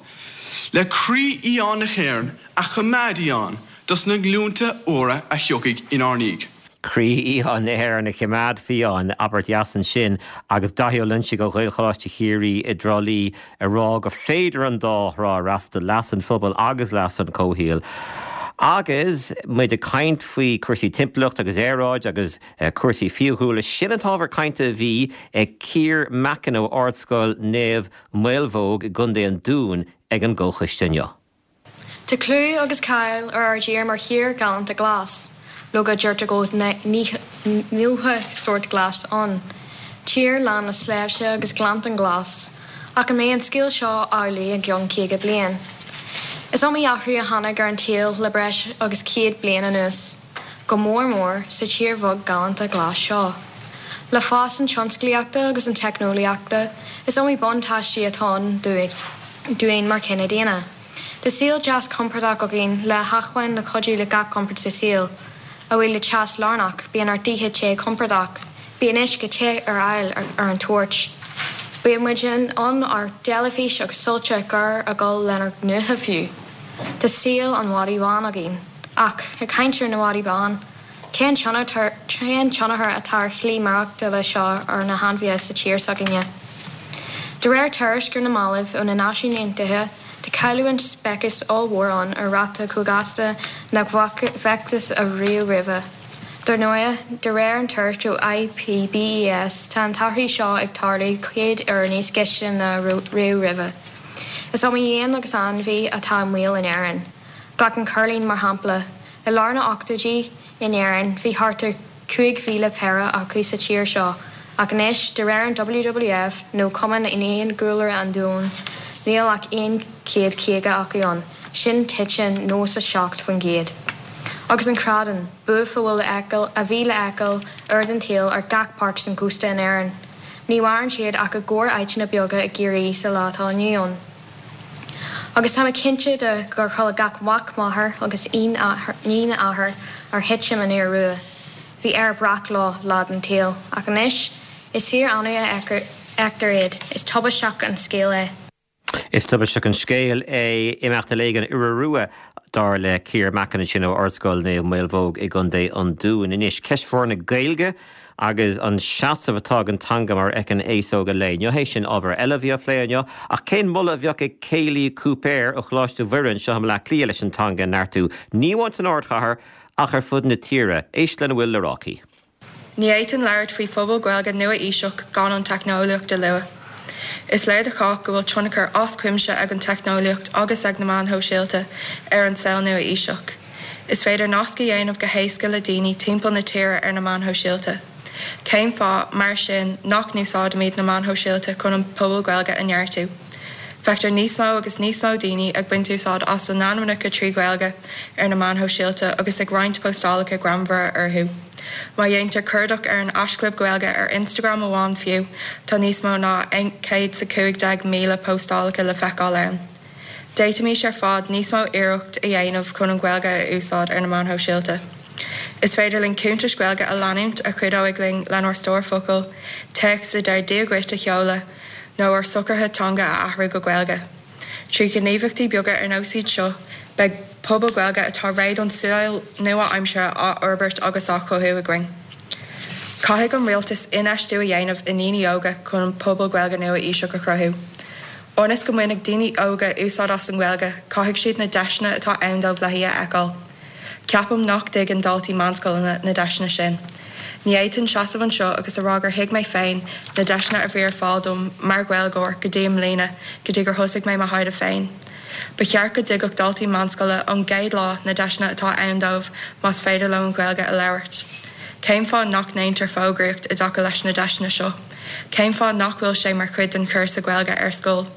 le croí fhiáin na hÉireann a choimeád fiáin dos na glúnta úra a thiocfaidh inár ndiaidh. Croí fhiáin na hÉireann a choimeád fiáin, abairt dheas ansin, agus Daithí Ó Loinsigh ó Ghaelcholáiste Chiarraí i dTrá Lí ag rá gur féidir an dá thrá a fhreastal, leas an phobail agus leas an chomhshaoil. Agus muid ag caint faoi cúrsaí timpeallacht agus aeráid agus cúrsaí fiadhúlra, sin an t-ábhar cainte a bhí ag Ciar Mackin ó Ardscoil Naomh Maolmhaodhóg i gContae an Dúin ag an gcomhchoiste inniu. Tá clú agus cáil ar ár dtír mar thír ghalánta glas, leoga deirtear go bhfuil nócha sórt glas ann. Tír lán le sléibhte agus gleannta glas, ach an mbeidh an scéal seo amhlaidh i gceann caoga bliain? Is iomaí athrú a tháinig ar an tsaol le breis agus céad bliain anuas, go mór mór sa tír bheag ghalánta glas seo. Le fás an tionsclaíochta agus an teicneolaíochta, is iomaí buntáistí atá ann dúinn mar chine daonna. Tá saol deas compordach againn le hacmhainn le cuidiú le gach compord sa saol. A bhuí le teas lárnach, bíonn ár dtithe te compordach, bíonn uisce te ar fáil ar an toirt. Bíonn muid in ann ár dteilifís agus soilse géar a dhul lenár ngnótha fiú. Tá saol an mhadaidh bháin againn. Ach, ag caint ar na madaí bán, cén tionchar atá ar shlí maireachtála seo ar na hainmhithe sa tír s'againne? De réir tuairisc ar na mallaibh ó na Náisiúin Aontaithe, tá cailliúint speiceas ollmhór ann ar ráta chomh gasta nach bhfacthas ariamh roimhe. Dar ndóigh, de réir an tuairisc ó IPBES, tá an t-athrú seo ag tarlú céad uair níos gaiste ná riamh roimhe. Is iomaí éan agus ainmhí atá i mbaol in Éirinn. Glac an coirlín mar shampla. I lár na n-ochtóidí in Éirinn, bhí thart ar cúig mhíle péire acu sa tír seo, ach anois, de réir an WWF nó Cumann Fhiadhúlra an Domhain, níl ach aon chéad caoga acu ann, sin titim nócha seacht faoin gcéad. Agus an crádán, buaf a bhfuil le feiceáil, a bhí le feiceáil uair den tsaol ar gach páirt den chósta in Éirinn. Ní mhaireann siad ach i gcorr-áiteanna beaga i gCiarraí sa lá atá inniu ann. Agus tá mé cinnte de gur chuala gach mac máthar agus iníon athar ar thitim an iora rua. Bhí Éire breac leo lá den tsaol, ach anois is fíor annamh a fheictear iad, is tubaisteach an scéal é. Is tubaisteach an scéal é imeacht i léig an iora rua dar le Ciar Mackin ansin ó Ardscoil Naomh Maolmhaodhóg i gContae an Dúin. Anois, ceist mhór na Gaeilge agus an seasamh atá ag an teanga mar a fheiceann aos óg an lae inniu é sin ábhar eile a bhí á phlé inniu. Ach cén moladh a bheadh ag Kaylee Cúipéir ó Choláiste Mhuire anseo i mBaile Átha Cliath leis an teanga a neartú ní amháin san ardchathair ach ar fud na tíre. Éist lena bhfuil le rá aici. Ní fhéadfainn labhairt faoi phobal Gaeilge nua-aoiseach gan an teicneolaíocht a lua. Is léir do chách go bhfuil tionchar as cuimse ag an teicneolaíocht agus ag na meáin shóisialta ar an saol nua-aoiseach. Is féidir nasc a dhéanamh go héasca le daoine timpeall na tíre ar na meáin shóisialta. Cén fáth mar sin nach n-úsáidimid na meáin shóisialta chun an pobal Gaeilge a neartú. Feictear níos mó agus níos mó daoine ag baint úsáid as a n-ainmneacha trí Ghaeilge ar na meáin shóisialta agus ag roinnt postálacha greannmhara orthu. Má dhéantar cuardach ar an haischlib Gaeilge ar Instagram amháin fiú, tá níos mó ná céad is a cúig déag míle postálacha le feiceáil ann. D'fhéadfaimis ar fad níos mó iarracht a dhéanamh chun an Ghaeilge a úsáid ar na meáin shóisialta. Is féidir linn cuntais Ghaeilge a leanúint a chuideoidh linn lenár stór focal, téacs a deir Dia dhuit a sheoladh, nó ár socruithe teanga a athrú go Gaeilge. Trí ghníomhaíochtaí beaga ar nós iad seo, beidh pobal Gaeilge atá réidh don saol nua-aimseartha á fhorbairt agus á chothú againn. Caithfidh an rialtas infheistiú a dhéanamh i ndaoine óga chun an pobal Gaeilge nua-aoiseach a chruthú. Ionas go mbainfidh daoine óga úsáid as an Ghaeilge, caithfidh siad na deiseanna atá ann dóibh léi a fheiceáil. Ceapaim nach dtuigeann daltaí meánscoileanna na deiseanna sin. Ní fhéadfainn seasamh anseo agus a rá gur thuig mé féin na deiseanna a bhí ar fáil dom mar Ghaeilgeoir go dtí i mbliana go dtí gur thosaigh mé mo thaighde féin. Ba cheart go dtuigfeadh daltaí meánscoile ón gcéad lá na deiseanna atá ann dóibh más féidir leo an Ghaeilge a labhairt. Cén fáth nach ndéantar fógraíocht i dtaca leis na deiseanna seo? Cén fáth nach bhfuil sé mar chuid den chúrsa Gaeilge ar scoil?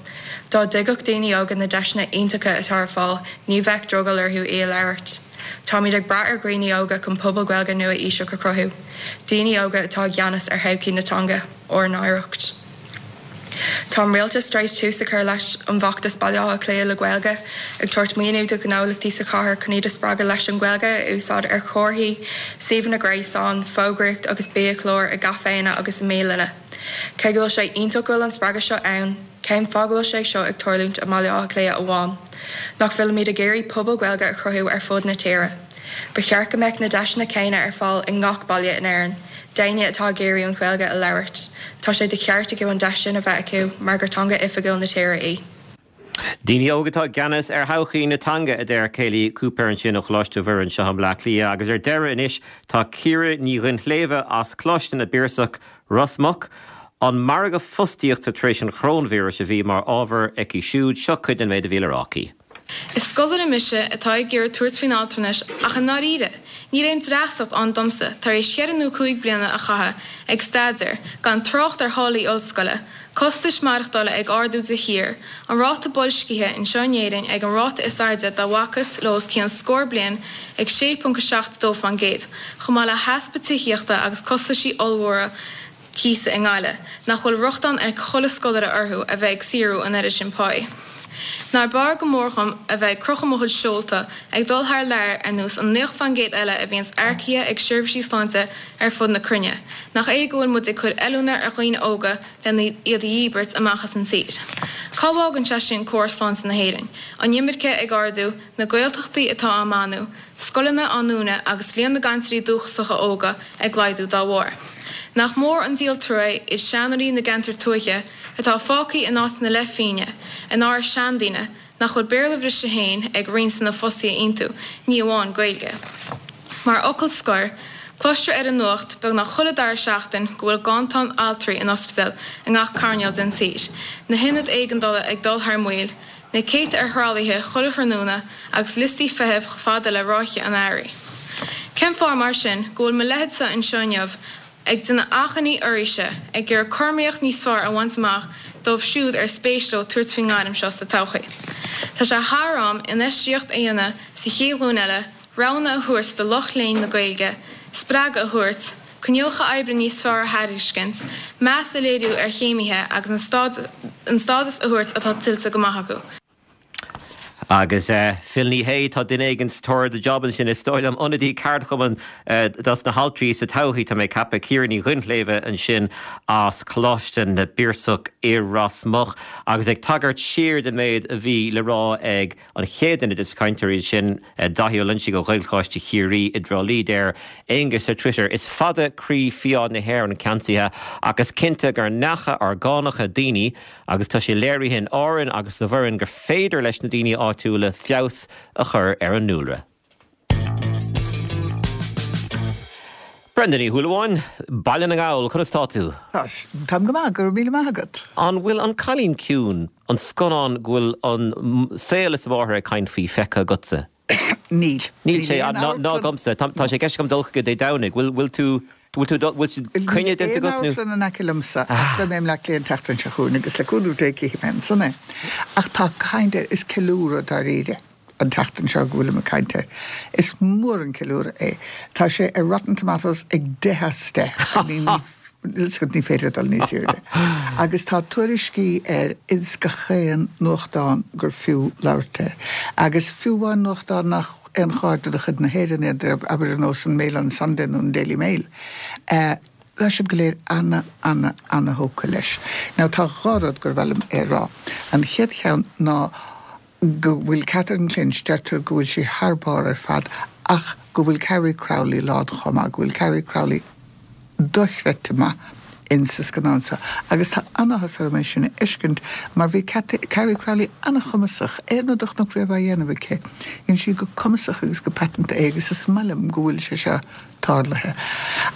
Dá dtuigfeadh daoine óga na deiseanna iontacha atá ar fáil, ní bheadh drogall orthu í a labhairt. Táimid ag brath ar dhaoine óga chun pobal Gaeilge nua-aoiseach a chruthú. Daoine óga atá i gceannas ar thodhchaí na teanga, ár n-oidhreacht. Tá an rialtas tar éis tús a chur leis an bhfeachtas Baile Átha Cliath le Gaeilge, ag tabhairt maoiniú do ghnólachtaí sa chathair chun iad a spreagadh leis an Ghaeilge a úsáid ar chomharthaí, suíomhanna gréasáin, fógraíocht agus biachláir i gcaiféanna agus i mbialanna. Cé go bhfuil sé iontach go bhfuil an spreagadh seo ann, cén fáth go bhfuil sé seo ag tarlúint i mBaile Átha Cliath amháin? Nach bhfuilimid ag iarraidh pobal Gaeilge a chruthú ar fud na tíre. Ba cheart go mbeadh na deiseanna céanna ar fáil i ngach baile in Éirinn, d'éinne atá ag iarraidh an Ghaeilge a labhairt. Tá sé de cheart acu an deis sin a bheith acu mar gur teanga oifigiúil na tíre í. Daoine óga atá i gceannas ar thodhchaí na teanga, a deir Kayleigh Cooper ansin ó Choláiste Mhuire anseo i mBleá Cliath. Agus ar deireadh anois tá Ciara Ní Dhuinnshléibhe as Coláiste na bPiarsach, Ros Muc. An margadh fostaíochta tar éis an choróinvíris a bhí mar ábhar aici siúd. Seo cuid den méid a bhí le rá aici. Is scoláire mise atá ag iarraidh tabhairt faoin altranais ach i ndáiríre, níl aon dreasacht ann domsa tar éis cheithre nó cúig bliana a chaitheamh ag staidéar, gan trácht ar tháillí ollscoile, costais maireachtála ag ardú de shíor, an ráta boilscithe anseo in Éirinn ag an ráta is airde dá bhfacthas le os cionn scór bliain ag sé ponc a seacht dó faoin gcéad, chomh maith le heaspa tithíochta agus costaisí ollmhóra cíosa i nGaillimh, nach bhfuil rochtain ag chuile scoláire orthu a bheith ag saothrú an oiread sin páí. Nár b'fhearr go mór dhom a bheith ag crochadh mo chuid seolta ag dul thar lear ar nós an naocha faoin gcéad eile a bhíonns earcaithe ag seirbhísí sláinte ar fud na cruinne, nach é go bhfuil muid ag cur oiliúna ar dhaoine óga lena iad a dhíbirt amach as an tír. Cá bhfágann sé sin córas sláinte na hÉireann? An imirce ag ardú, na Gaeltachtaí atá á mbánú, scoileanna á ndúnadh agus líon na gcainteoirí dúchasacha óga ag laghdú dá bharr. Nach mór an díol trua iad seanóirí na gceantar tuaithe atá fágtha in áit na leithphingne, in árais seandaoine, nach bhfuil Béarla bhriste féin ag roinnt de na fostaithe iontu, ní amháin Gaeilge. Mar fhocal scoir, cloistear ar an nuacht beagnach chuile dara seachtain go bhfuil ganntan altraí in ospidéil i ngach coirnéal den tír, na hionaid éigeandála ag dul thar maoil, na céadta ar thralaithe chuile thráthnóna agus liostaí feithimh chomh fada le ráithe an earraigh. Cén fáth mar sin go bhfuil mo leithéidse anseo inniu ag déanamh achainí oraibhse, ag iarraidh cothromaíocht níos fearr a bhaint amach dóibh siúd ar spéis leo tabhairt faoin ngairm seo sa todhchaí? Tá sé thar am infheistíocht a dhéanamh sa chéad ghlúin eile, roghanna a thabhairt do lucht léinn na Gaeilge, spreagadh a thabhairt, coinníollacha oibre níos fearr a thairiscint, meas a léiriú ar chéimithe agus an stádas a thabhairt atá tuillte go maith acu. Agus Phil Ní Sheaghdha, tá duine éigin sa tóir ar do job ansin, is dóigh liom, ionadaí ceardchumainn dos na haltraí sa todhchaí, tá mé ag ceapadh, Ciara Ní Dhuinnshléibhe ansin as Coláiste na bPiarsach i Ros Muc. Agus ag tagairt siar den méid a bhí le rá ag an chéad duine des na cainteoirí sin, Daithí Ó Loinsigh ó Ghaelcholáiste Chiarraí i dTrá Lí, deir Aengus ar Twitter, Is fada croí fiáin na hÉireann ceansaithe ach is cinnte gur neacha orgánacha daoine agus tá sé léirithe in Árainn agus sa Bhoireann gur féidir leis na daoine áitiúla feabhas a chur ar an ndúlra. Brenda Ní Shúilleabháin, Baile na nGall, conas tá tú? Táim go maith, go raibh míle maith agat. An bhfuil An Cailín Ciúin, an scannán go bhfuil an saol is a mháthair ag caint faoi, feicthe agatsa? Níl. Níl sé, ná agamsa. Tá sé i gceist agam dul chuige Dé Domhnaigh. Bhfuil tú, bhfuil tú, bhfuil coinne déanta agat nó? Níl aon amharclann in aice liomsa ach beidh mé i mBleá Cliath an tseachtain seo chugainn agus le cúnamh Dé cífidh mé ansan é. Ach tá kind of, is ceiliúradh dáiríre an tseachtain seo go bhfuilim ag caint air. Is mór an ceiliúradh é. Tá sé ar Rotten Tomatoes ag deich as deich. Ní féidir dul níos airde. Agus tá tuairiscí air ins gach aon nuachtán gur fiú labhairt air. Agus fiú amháin nuachtán nach aon chairde de chuid na hÉireann iad, abair ar nós an Mail on Sunday nó an Daily Mail. Tá siad go léir ana, ana, ana thógtha leis. Now tá dhá rud gur mhaith liom a rá. An chéad cheann ná go bhfuil Catherine Clinch, deirtear go bhfuil sí thar barr ar fad, ach go bhfuil Carrie Crowley lán chomh maith, go bhfuil Carrie Crowley dochreidte maith in sa scannán seo. Agus tá an-áthas orm é sin a fheiscint mar bhí Carrie Crowley an-chumasach, aon rud a chonac riamh á dhéanamh aici, dhein sí go cumasach agus go paiteanta é agus is maith liom go bhfuil sé seo tarlaithe.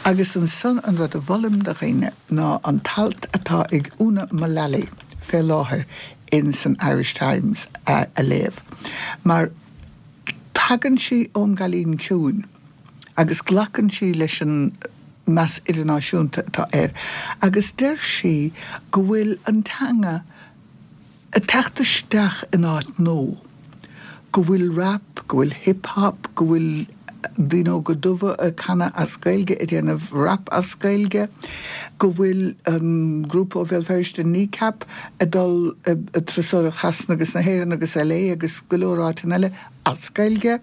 Agus ansan an rud a mholaim do dhaoine ná an t-alt atá ag Úna Mullally fé láthair in san Irish Times a léamh. Mar tagann sí ón gCailín Ciúin agus glacann sí leis an meas idirnáisiúnta atá air agus deir sí go bhfuil an teanga ag teacht isteach in áit nua, go bhfuil rap, go bhfuil hip hop, go bhfuil daoine óga dubha ag canadh as Gaeilge, ag déanamh rap as Gaeilge, go bhfuil an grúpa ó Bhéal Feirste Kneecap ag dul ag turasóireacht Shasana agus na hÉireann agus LA agus go leor áiteanna eile as Gaeilge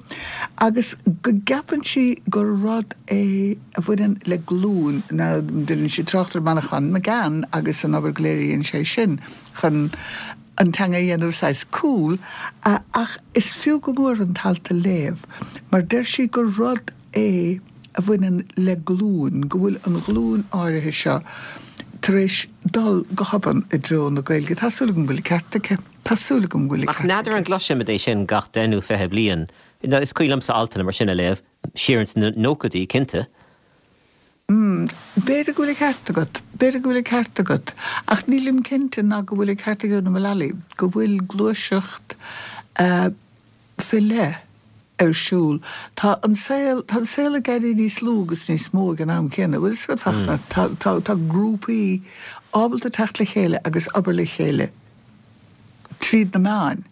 agus go gceapann sí gur rud é a bhaineann le glúin. Now déanann sí trácht ar Manchán Magan agus an obair go léir a dhein sé sin chun an teanga a dhéanamh saghas cool, ach is fiú go mór an t-alt a léamh mar deir sí gur rud é a bhaineann le glúin, go bhfuil an ghlúin áirithe seo tar éis dul go hobann i dtreo na Gaeilge. Tá súil agam go bhfuil an ceart aici. Tá súil agam go bhfuil an Ach ceart n'fheadar aici. an gcloisimid é sin gach deich nó fiche bliain. Is cuimhin liomsa altanna mar sin a léamh, siar ins na nóchaidí, cinnte. B'fhéidir go bhfuil an ceart agat, b'fhéidir go bhfuil an ceart agat, ach nílim cinnte ná go bhfuil an ceart ag Úna Mullally, go bhfuil gluaiseacht fé leith ar siúl. Tá an saol, tá an saol ag éirí níos lú agus níos mó ag an am céanna, bhfuil fhios agat, Fachtna? Tá, tá, tá grúpaí ábalta teacht le chéile agus obair le chéile tríd na meáin.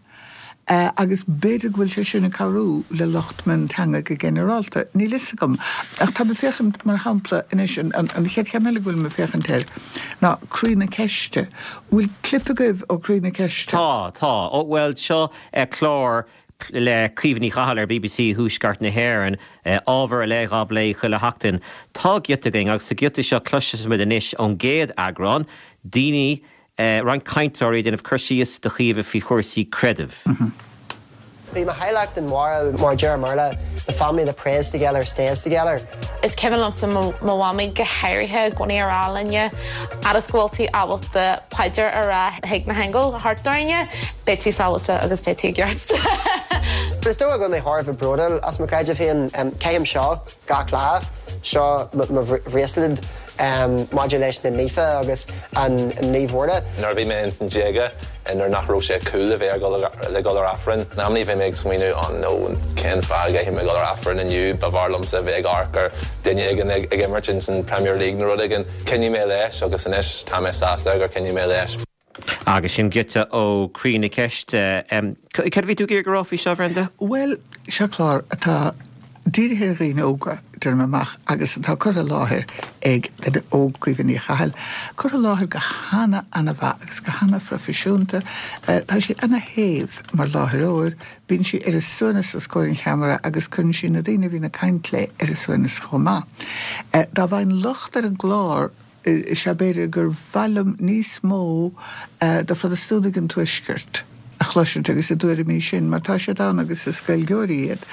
Agus b'fhéidir go bhfuil sé sin ag cabhrú le lucht mionteanga go ginearálta. Níl fhios agam. Ach táim ag féachaint, mar shampla, anois, an chéad cheann eile go bhfuilim ag féachaint air ná Croí na Ceiste. Bhfuil clip agaibh ó Croí na Ceiste? Tá, tá. Ó, bhuel, seo clár le Caoimhe Ní Chathail ar bbc Thuaisceart na hÉireann, ábhar ar leith á bplé chuile sheachtain. Tá giota againn agus sa ghiota seo cloisfimid anois ón gcéad eagrán, daoine roinnt cainteoirí ag déanamh cur síos do Chaoimhe faoi chúrsaí creidimh. Bhí mo theaghlach den bharúil, mar a deir an Béarla, the family that prays together stays together. Is cuimhin liomsa mo mhamaí go háirithe i gcónaí a rá linne, fhad is go bhfuil tú ábalta paidir a rá chuig na haingil thart orainne, beidh tú sábháilte agus beidh tú i gceart. Is dócha go bhfuil mé thar a bheith bródúil as mo chreideamh féin. Caithim seo gach lá. Seo mo bhraosled maidir leis na naofa agus an Naomh Mhuire. Nuair a bhí mé ins an déaga, nuair nach raibh sé cool a bheith le dul ar Aifreann, in amannaí bhí mé ag smaoineamh oh no cén fáth a gcaithfidh mé dul ar Aifreann inniu, ba bhfearr liomsa a bheith ag amharc ar duine éigin ag imirt ins an Premier League nó rud éigin. Choinnigh mé leis agus anois tá mé sásta gur choinnigh mé leis. Agus sin giota ó Croí na Ceiste. Cad a bhí tú ag iarraidh a rá faoi seo, Bhrenda? Bhuel, seo clár atá dírithe ar dhaoine óga, deirim amach, agus atá curtha i láthair ag duine óg, Caoimhe Ní Chathail, curtha i láthair go hana, ana-mhaith agus go hana-phroifisiúnta. Tá sí ana-shéimh mar láithreoir, bíonn sí ar a suaimhneas os comhair an cheamara agus cuireann sí na daoine a bhíonn ag caint léi ar a suaimhneas chomh maith. Dá bhfaighinn locht ar an gclár, is ea b'fhéidir gur mhaith liom níos mó de Phrotastúnaigh an Tuaiscirt a chloisint agus a dtuairimí sin, mar tá siad ann agus is Gaeilgeoirí iad,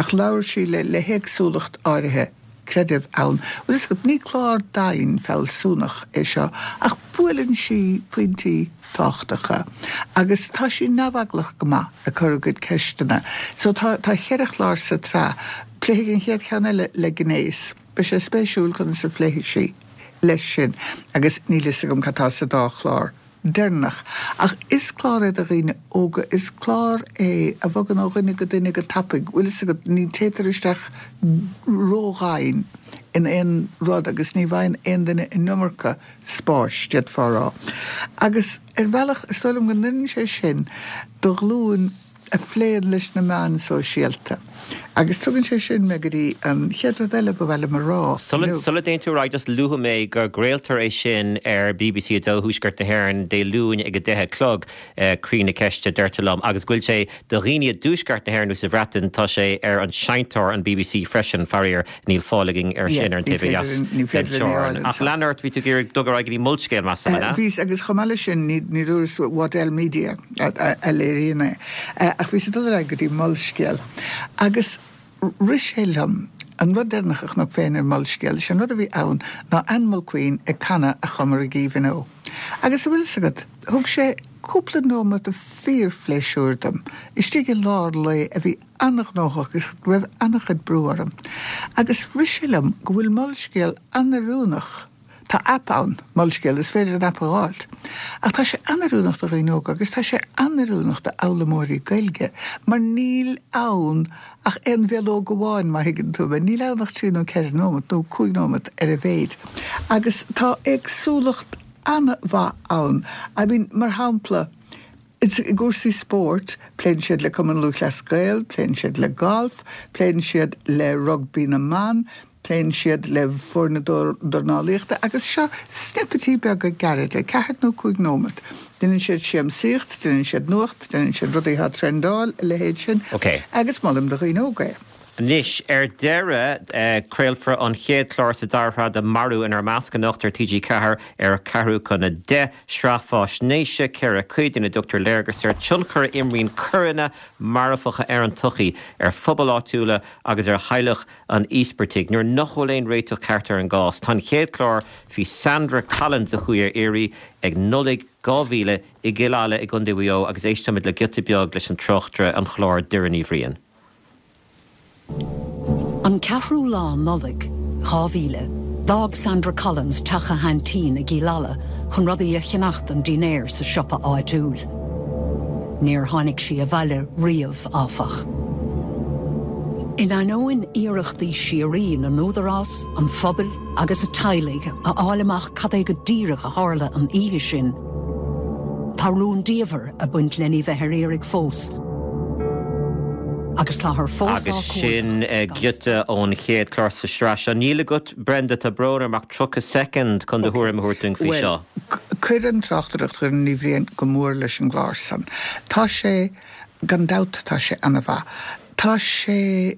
ach labhair sí le le héagsúlacht áirithe creideamh ann. Bhuel, is ní clár domhain fealsúnach é seo, ach buaileann sí pointí tábhachtacha agus tá sí neamheaglach go maith ag cur a gcuid ceisteanna. So tá tá cheithre chlár sa tsraith. Pléifidh an chéad cheann eile le gnéas. Beidh sé spéisiúil conas a phléifidh sí leis sin agus níl fhios agam cad tá sa dá chlár deireanach. Ach is clár é do dhaoine óga, is clár é a bhogann ó dhuine go duine go tapaidh, bhfuil fhios agat, ní téitear isteach ródhomhain in aon rud agus ní bhfaigheann aon duine an iomarca spáis, d'fhéadfá a rá. Agus ar bhealach, is dóigh liom go n-oireann sé sin do ghlúin a phléann leis na meáin sóisialta. Agus tugann sé sin mé go dtí an chéad rud eile ba mhaith liom a rá. Sula dtéann tú ar aghaidh, just luafaidh mé go gcraoltar é sin ar BBC a dó Thuaisceart na hÉireann Dé Luain ag a deich a chlog, Croí na Ceiste, deirtear liom, agus go bhfuil sé do dhaoine i dTuaisceart na hÉireann nó sa Bhreatain, tá sé ar an seinnteoir an BBC freisin, faraor níl fáil againn air sin ar an taobh ó dheas den teorainn. Ach lean ort, bhí tú ag iarraidh dul ar aghaidh go dtí Molscéal, measaim, an ea? Bhíos, agus chomh maith leis sin, ní dúras Waddell Media a léiríonn é, ach bhíos ag dul ar aghaidh go dtí Molscéal. Agus rith sé liom, an rud deireanach a chonac féin ar Molscéal, is é an rud a bhí ann ná Anne Mulqueen ag canadh A Chomair i gCaoimhín Ó. Agus a bhfuil 'fhios agat, thug sé cúpla nóiméad de fíorphléisiúr dom, istigh i lár lae a bhí an-ghnóthach agus go raibh an-chuid brú orm. Agus rith sé liom go bhfuil Molscéal an-oiriúnach. Tá aip ann, Molscéal, is féidir an aip a dh'fháilt. Ach tá sé an-oiriúnach do dhaoine óga agus tá sé an-oiriúnach d'fhoghlaimeoirí Gaeilge mar níl ann ach aon bhileog amháin, má thuigeann tú mé. Níl ann ach trí nó ceithre nóimeat nó cúig nóimeat ar a mhéid. Agus tá éagsúlacht an-mhaith ann. I mean, mar shampla, i gcúrsaí spóirt, pléann siad le Cumann Lúthchleas Gael, pléann siad le golf, pléann siad le rugbaí na mban, Pléann siad le foirne dornálaíochta agus seo snippetí beaga gairide, ceathair nó cúig nóimeat. Déanann siad siamsaíocht, déanann siad nuacht, déanann siad rudaí atá ag trendáil, a leithéid sin. Ok. Agus molaim do dhaoine óga é. Anois, ar deireadh, craolfar an chéad chlár sa dara shraith de Marú inár Measc anocht ar T G ceathair ar ceathrú chun a deich. Sraith faisnéise ceithre chuid ina dtugtar léargas ar tionchar a imríonn coireanna marfacha ar an tsochaí, ar phobail áitiúla agus ar theaghlach an íospartaigh. Nuair nach bhfuil aon réiteach ceart ar an gcás, tá an chéad chlár faoi Sandra Collins a chuaigh ar iarraidh ag Nollaig dhá mhíle i gCill Ala i gContae Mhaigh Eo agus éistfimid le giota beag leis an tráchtaire an chláir Doireann Ní Bhriain. An ceathrú lá Nollaig, dhá mhíle, d'fhág Sandra Collins teach a haintín i gCill Ala chun rudaí a cheannach don dinnéar sa siopa áitiúil. Níor tháinig sí abhaile riamh, áfach. In ainneoin iarrachtaí síoraí na n-údarás, an phobail agus a teaghlaigh a fháil amach cad é go díreach a tharla an oíche sin, tá rúndiamhair ag baint lena bheith ar iarraidh fós agus táthar fós á Agus sin cuardach gan giota stad. ón chéad chlár sa sraith seo. Níl agat, Brenda, tá brón orm ach tríocha soicind chun do Ok. thuairim a thabhairt dúinn faoi Bhuel, seo. cuireann tráchtaireacht Dhoireann Ní Bhriain go mór leis an gclár san. Tá sé, gan dabht tá sé ana-mhaith. Tá sé,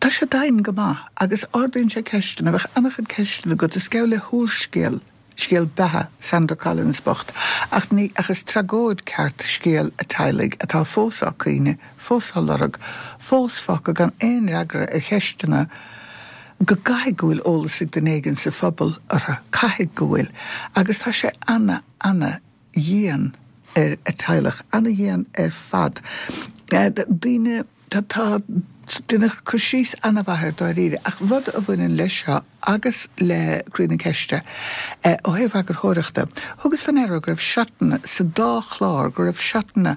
tá sé domhain go maith agus ardaíonn sé ceisteanna, bheadh an-chuid ceisteanna agat, is geall le húrscéal, scéal beatha Sandra Collins bocht, ach ní, ach is tragóid ceart scéal a teaghlaigh atá fós á caoineadh, fós á lorg, fós fágtha gan aon fhreagra ar cheisteanna go gcaithfidh go bhfuil eolas ag duine éigin sa phobal orthu, caithfidh go bhfuil. Agus tá sé ana, ana dhian ar a teaghlach, ana-dhian ar fad. Daoine, tá, tá, deineadh cur síos ana-mhaith air dáiríre, ach rud a bhaineann leis seo agus le Croí na Ceiste, ó thaobh eagarthóireachta, thugas fé ndeara go raibh seatanna sa dá chlár, go raibh seatanna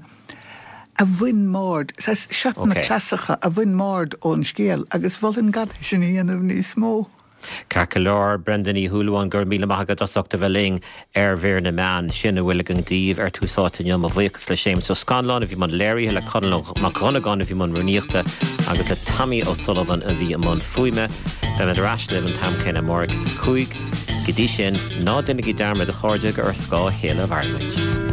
a bhain m'aird, saghas seatanna cleasacha a bhain m'aird ón scéal agus mholfainn gan é sin a dhéanamh níos mó. Ceart go leor, Brenda Ní Shúilleabháin, go raibh míle maith agat as ucht a bheith linn ar Mhír na Meán. Sin a bhfuil againn daoibh ar Tús Áite inniu. Mo bhuíochas le Séamus Ó Scanláin a bhí i mbun léirithe, le Conall Mac Dhonnagáin a bhí i mbun rúnaíochta agus le Tommy O'Sullivan a bhí i mbun fuaime. Beimid ar ais libh an t-am céanna amárach ag a cúig. Go dtí sin, ná déanaigí dearmad a chairde gur ar scáth a chéile a mhairimid.